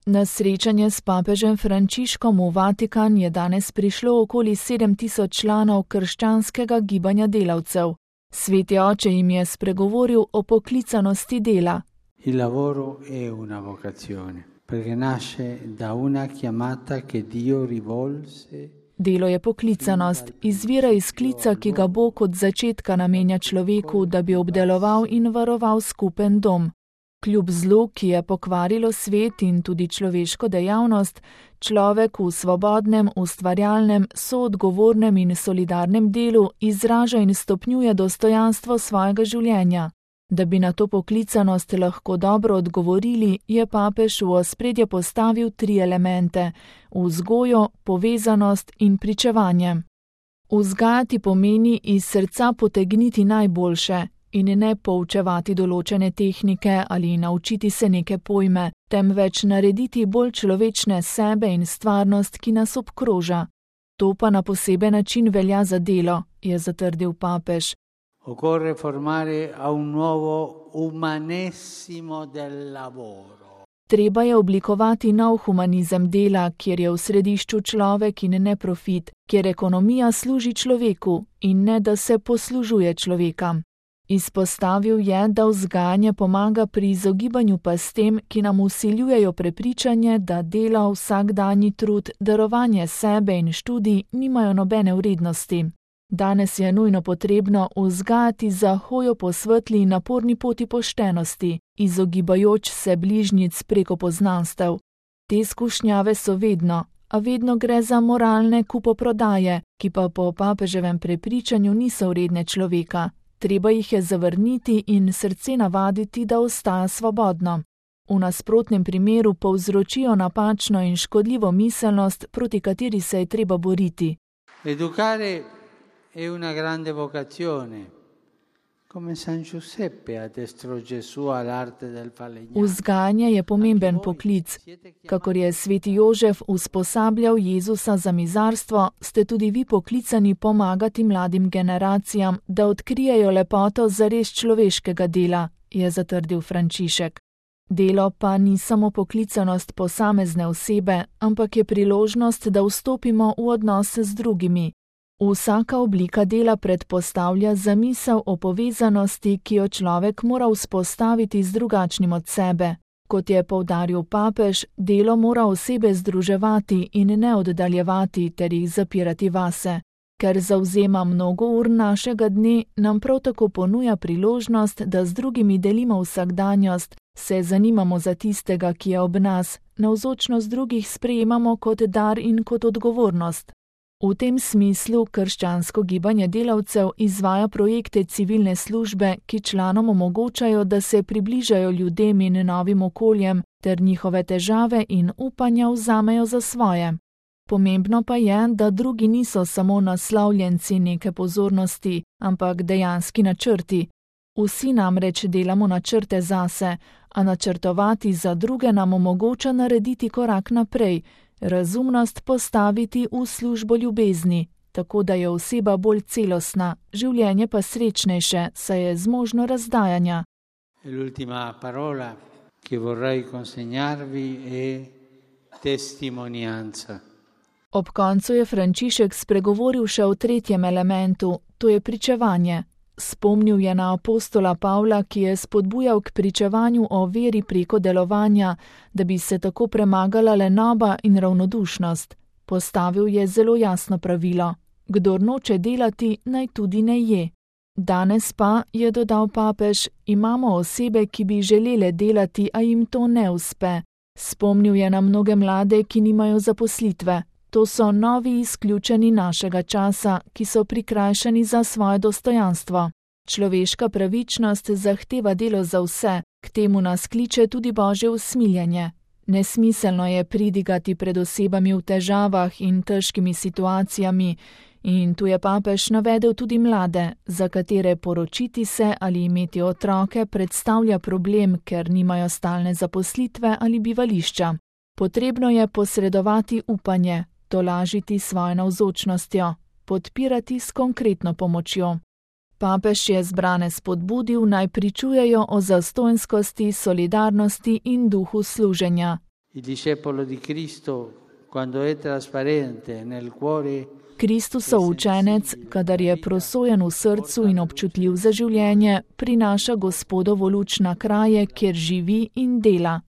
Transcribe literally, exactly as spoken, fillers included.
Na srečanje s papežem Frančiškom v Vatikan je danes prišlo okoli sedem tisoč članov krščanskega gibanja delavcev. Sveti oče jim je spregovoril o poklicanosti dela. Il lavoro è una vocazione, perché nasce da una chiamata che Dio rivolse. Delo je poklicanost, izvira iz klica, ki ga Bog od začetka namenja človeku, da bi obdeloval in varoval skupen dom. Kljub zlu, ki je pokvarilo svet in tudi človeško dejavnost, človek v svobodnem, ustvarjalnem, soodgovornem in solidarnem delu izraža in stopnjuje dostojanstvo svojega življenja. Da bi na to poklicanost lahko dobro odgovorili, je papež v ospredje postavil tri elemente: vzgojo, povezanost in pričevanje. Vzgajati pomeni iz srca potegniti najboljše in ne poučevati določene tehnike ali naučiti se neke pojme, temveč narediti bolj človečne sebe in stvarnost, ki nas obkroža. To pa na poseben način velja za delo, je zatrdil papež. Occorre formare a un nuovo umanesimo del lavoro. Treba je oblikovati nov humanizem dela, kjer je v središču človek in ne profit, kjer ekonomija služi človeku in ne da se poslužuje človeka. Izpostavil je, da vzgajanje pomaga pri izogibanju pastem, ki nam vsiljujejo prepričanje, da delo, vsakdanji trud, darovanje sebe in študij nimajo nobene vrednosti. Danes je nujno potrebno vzgajati za hojo po svetli in naporni poti poštenosti, izogibajoč se bližnjic preko poznanstev. Te skušnjave so vedno, a vedno gre za moralne kupoprodaje, ki pa po papeževem prepričanju niso vredne človeka. Treba jih je zavrniti in srce navaditi, da ostaja svobodno. V nasprotnem primeru povzročijo napačno in škodljivo miselnost, proti kateri se je treba boriti. Educare è una grande vocazione, come San Giuseppe addestro Gesù all'arte del falegname. Vzgajanje je pomemben poklic. Kakor je sveti Jožef usposabljal Jezusa za mizarstvo, ste tudi vi poklicani pomagati mladim generacijam, da odkrijejo lepoto zares človeškega dela, je zatrdil Frančišek. Delo pa ni samo poklicanost posamezne osebe, ampak je priložnost, da vstopimo v odnose z drugimi. Vsaka oblika dela predpostavlja zamisel o povezanosti, ki jo človek mora vzpostaviti z drugačnim od sebe. Kot je poudaril papež, delo mora osebe združevati in ne oddaljevati ter jih zapirati vase. Ker zavzema mnogo ur našega dne, nam prav tako ponuja priložnost, da z drugimi delimo vsakdanjost, se zanimamo za tistega, ki je ob nas, navzočnost drugih sprejemamo kot dar in kot odgovornost. V tem smislu krščansko gibanje delavcev izvaja projekte civilne službe, ki članom omogočajo, da se približajo ljudem in novim okoljem, ter njihove težave in upanja vzamejo za svoje. Pomembno pa je, da drugi niso samo naslovljenci neke pozornosti, ampak dejanski načrti. Vsi namreč delamo načrte zase, a načrtovati za druge nam omogoča narediti korak naprej, razumnost postaviti v službo ljubezni, tako da je oseba bolj celostna, življenje pa srečnejše, saj je zmožno razdajanja. L'ultima parola che vorrei consegnarvi è testimonianza. Ob koncu je Frančišek spregovoril še o tretjem elementu, to je pričevanje. Spomnil je na apostola Pavla, ki je spodbujal k pričevanju o veri preko delovanja, da bi se tako premagala lenoba in ravnodušnost. Postavil je zelo jasno pravilo: kdor noče delati, naj tudi ne je. Danes pa, je dodal papež, imamo osebe, ki bi želele delati, a jim to ne uspe. Spomnil je na mnoge mlade, ki nimajo zaposlitve. To so novi izključeni našega časa, ki so prikrajšani za svoje dostojanstvo. Človeška pravičnost zahteva delo za vse, k temu nas kliče tudi Božje usmiljenje. Nesmiselno je pridigati pred osebami v težavah in težkimi situacijami, in tu je papež navedel tudi mlade, za katere poročiti se ali imeti otroke predstavlja problem, ker nimajo stalne zaposlitve ali bivališča. Potrebno je posredovati upanje, tolažiti svojo navzočnostjo, podpirati s konkretno pomočjo. Papež je zbrane spodbudil, naj pričujejo o zastonjskosti, solidarnosti in duhu služenja. Il discepolo di Cristo, quando è trasparente nel cuore, Kristusov učenec, kadar je prosojen v srcu in občutljiv za življenje, prinaša Gospodovo luč na kraje, kjer živi in dela.